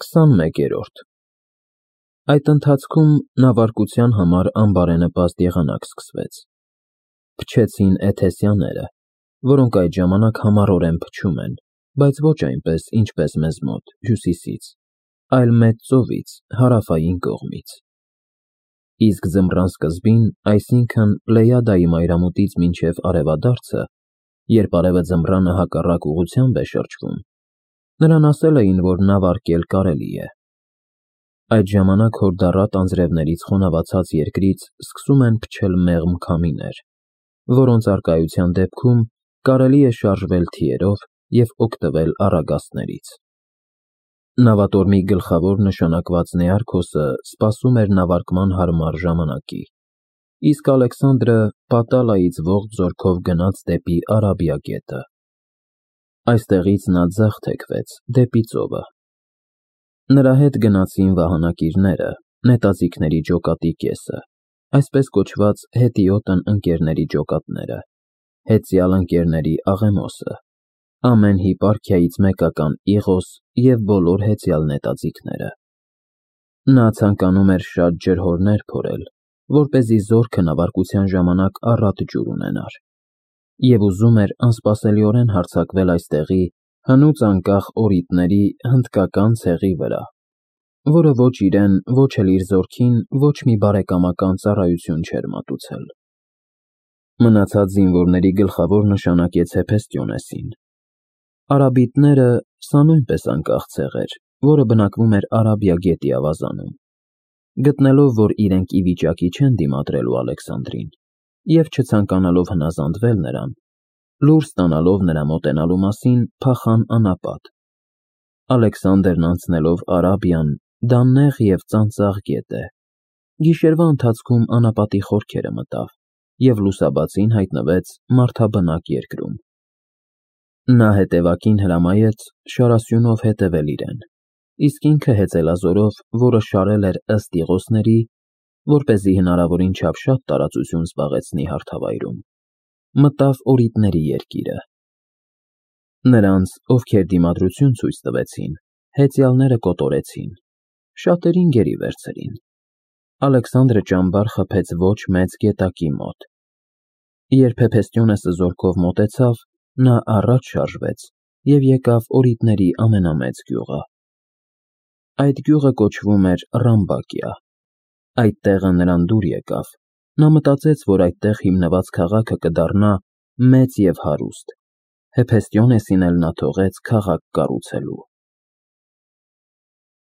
21-րդ Այդ ընթացքում նավարկության համար անբարենպաստ եղանակ սկսվեց։ Փչեցին էթեսյանները, որոնք այդ ժամանակ համառորեն փչում են, բայց ոչ այնպես, ինչպես մեզ մոտ, հյուսիսից, այլ մեծ ծովից, հարավային կողմից։ Իսկ ձմռան սկզբին, այսինքն Պլեյադայի մայրամուտից մինչև արևադարձը, երբ արևը ձմռանը հակառակ ուղղությամբ է շրջվում, նրան ասել էին, որ նավարկել կարելի է։ Այդ ժամանակ հորդառատ անձրևներից խոնավացած երկրից սկսում են փչել մեղմ քամիներ, որոնց առկայության դեպքում կարելի է շարժվել թիերով և օգտվել առագաստներից։ Նավատորմի գլխավոր նշանակված Նեարքոսը սպասում էր նավարկման հարմար ժամանակի, իսկ Ալեքսանդրը Պատալայից ողջ զորքով գնաց դեպի Արաբիա գետը։ Այստեղից նա ձախ թեքվեց դեպի ծովը։ Նրա հետ գնացին վահանակիրները, նետաձիգների ջոկատի կեսը, այսպես կոչված հետիոտն ընկերների ջոկատները, հեծյալ ընկերների Աղեմոսը, ամեն հիպարքիայից մեկական Իղոս և բոլոր հեծյալ նետաձիգները։ Նա ցանկանում էր շատ ջրհորներ փորել, որպեսզի զորքը նավարկության ժամանակ առատ ջուր ունենար, և ուզում էր անսպասելիորեն հարձակվել այստեղի հնուց անկախ օրիտների հնդկական ցեղի վրա, որը ոչ իրեն, ոչ էլ իր զորքին ոչ մի բարեկամական ծառայություն չէր մատուցել։ Մնացած զինվորների գլխավոր նշանակեց Հեփեստիոնեսին։ Արաբիտները սա նույնպես անկախ ցեղ էր, որը բնակվում էր Արաբիա գետի ավազանում։ Գտնելով, որ իրենք ի վիճակի չեն դիմադրելու Ալեքսանդրին, և չցանկանալով հնազանդվել նրան, լուր ստանալով նրա մոտենալու մասին, փախան անապատ։ Ալեքսանդրն անցնելով Արաբիան, դա նեղ և ծանծաղ գետ է, գիշերվա ընթացքում անապատի խորքերը մտավ և լուսաբացին հայտնվեց մարդաբնակ երկրում։ Նա հետևակին հրամայեց շարասյունով հետևել իրեն, իսկ ինքը հեծելազորով, որը շարել էր ըստ Իղոսների, որպեսզի հնարավորին չափ շատ տարածություն զբաղեցնի հարթավայրում, մտավ օրիտների երկիրը։ Նրանց, ովքեր դիմադրություն ցույց տվեցին, հեծյալները կոտորեցին, շատերին գերի վերցրին։ Ալեքսանդրը ճամբար խփեց ոչ մեծ գետակի մոտ։ Երբ Հեփեստիոնեսը զորքով մոտեցավ, նա առաջ շարժվեց և եկավ օրիտների ամենամեծ գյուղը։ Այդ գյուղը կոչվում էր Ռամբակիա։ Այդ տեղը նրան դուր եկավ։ Նա մտածեց, որ այդտեղ հիմնված քաղաքը կդառնա մեծ և հարուստ, Հեփեստիոնեսին էլ նա թողեց քաղաք կառուցելու։